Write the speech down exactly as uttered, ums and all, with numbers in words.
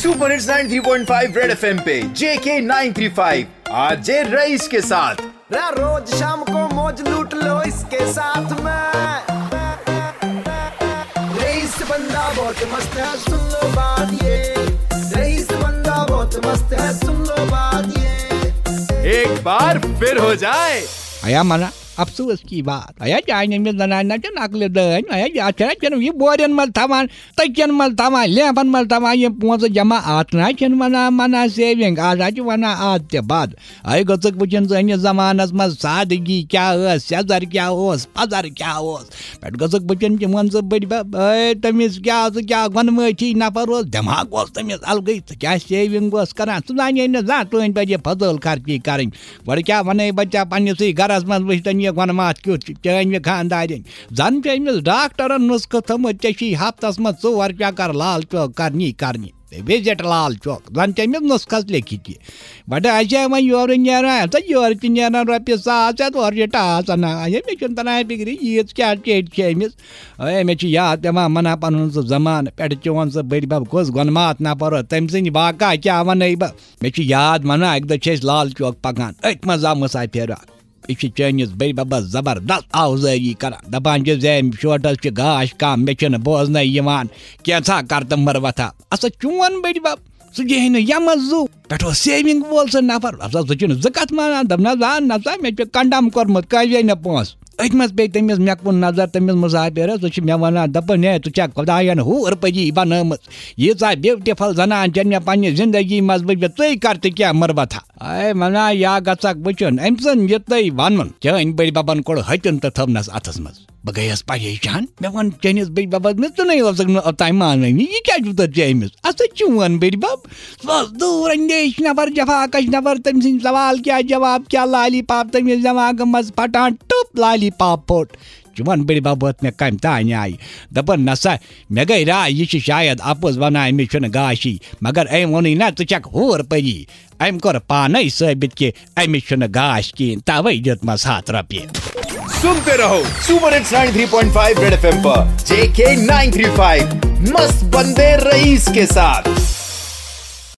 Super hits ninety three point five red F M पे J K nine three five, R J Raees के साथ। रा-, रोज शाम को मौज लूट लो इसके साथ में। रईस बंदा बहुत मस्त है, सुन लो बात ये। रईस बंदा बहुत मस्त है, सुन लो बात ये। एक बार फिर हो जाए। आया मना अफसोस की बात। आया जाने में जनाना के नकल दन, आया जाचरा चन ये बोरियन मल थमान, तकियन मल थमान, लेफन मल थमान, ये पोंस जमा आतना चन मना, मना सेविंग, आजा च वना आत ते बाद। आए गचक वचन जन जमानस मज सादगी क्या हो, सजर क्या हो, पजर क्या हो। पेट गचक वचन के मन से बड़ी बा, आए तमिस क्या से क्या गनमैठी नफर हो, दिमाग हो तमिस अलगई, क्या सेविंग हो करना, सुनाने न जा तो इन पर ये फजल खर्ची करें। گۄڈٕ کیٛاہ وَنَے بہٕ ژےٚ، پنٛنِسٕے گَرَس منٛز وٕچھ تَن یہِ گۄنہٕ ماتھ کیُتھ چھُ، چٲنۍ یہِ خانٛدارِنۍ۔ زَن چھِ أمِس ڈاکٹرَن نُسخہٕ تھوٚمُت، ژےٚ چھی ہفتَس منٛز ژور چَکَر لال چوک کَرنی کَرنی۔ وِزِٹ لال چوک، زَن چھِ أمِس نُسخَس لیٚکھِتھ یہِ۔ بَڑٕ اَسہِ ہے وۄنۍ یورٕ نیران، ہَتہٕ یورٕ تہِ نیران رۄپیہِ ساس ہٮ۪تھ، اورٕ چھِ ٹاس اَنان۔ ہے، مےٚ چھُنہٕ تَران فِکرِ، ییٖژ کیٛاہ ٹیٚٹۍ چھِ أمِس۔ ہے، مےٚ چھُ یاد پٮ۪وان مَنا پَنُن سُہ زَمانہٕ، پٮ۪ٹھٕ چون سُہ بٔڈۍ بَب کُس گۄنہٕ ماتھ نفر اوس، تٔمۍ سٕنٛدۍ واقعہ کیٛاہ وَنَے بہٕ۔ مےٚ چھُ یاد، وَنان، اَکہِ دۄہ چھِ أسۍ لال چوک پَکان، أتھۍ منٛز آو مُسافِر اَکھ۔ یہِ چھُ چٲنِس بٔڈۍ بَبَس زبردست آوزٲری کران، دَپان چھُ زِ أمۍ شوٹَس چھُ گاش کَم، مےٚ چھُنہٕ بوزنَے یِوان، کینٛژھا کر تہٕ مٕروَتھا۔ اَسا چون بٔڈۍ بَب، سُہ دِہے نہٕ یَمَس زُو۔ پٮ۪ٹھ اوس سیوِنٛگ وول سُہ نفر، اَسا سُہ چھُنہٕ زٕ کَتھ مانان، دوٚپنَس، آ نہ سا، مےٚ چھُ کنڈم کوٚرمُت، کٲفی نہٕ پونٛسہٕ۔ أتھۍ منٛز پیٚیہِ تٔمِس مےٚ کُن نظر، تٔمِس مُسافِرَس، سُہ چھُ مےٚ وَنان، دَپان، ہے، ژٕ چھَکھ خۄدایَن حوٗر پٔری بَنٲومٕژ، ییٖژاہ بیوٹیفل زنان چھَنہٕ مےٚ پنٛنہِ زندگی منٛز وٕچھمٕژ، ژٕے کر تہٕ کینٛہہ مٕروَتھا۔ اے منا، یا گژھکھ وٕچھُن، أمۍ سُنٛد یہِ تۄہہِ وَنُن۔ چٲنۍ بٔڈۍ بَبَن کوٚڑ ۂتیُن تہٕ تھٲونَس اَتھَس منٛز۔ بہٕ گٔیَس پریشان۔ مےٚ ووٚن، چٲنِس بٔڈۍ بَبَس، مےٚ ژٕ نَے اوسُکھ نہٕ اوٚتام مانٲنی۔ یہِ کیٛاہ چھُ تۄہہِ ژےٚ أمِس؟ اَسا چون بٔڈۍ بَب۔ سُہ اوس دوٗر اندیش نفر، جفاکش نفر، تٔمۍ سٕنٛدۍ سوال کیٛاہ، جواب کیٛاہ، لالی پاپ تٔمِس دٮ۪ماغہٕ منٛز پھٹان، ٹُپ، لالی پاپ پھوٚٹ۔ چون بٔڈۍ بَب ووت مےٚ کَمہِ تانۍ آیہِ۔ دَپان، نہ سا، مےٚ گٔے راے، یہِ چھِ شاید اَپُز وَنان، أمِس چھُنہٕ گاشی۔ مگر أمۍ ووٚنُے نہ، ژٕ چھَکھ حوٗر پٔری۔ أمۍ کوٚر پانَے ثٲبِت کہِ أمِس چھُنہٕ گاش کِہیٖنۍ، تَوَے دیُتمَس ہَتھ رۄپیہِ۔ सुनते रहो super hits ninety three point five red FM पर जेके नाइन थ्री फ़ाइव, मस्त बंदे रईस के साथ।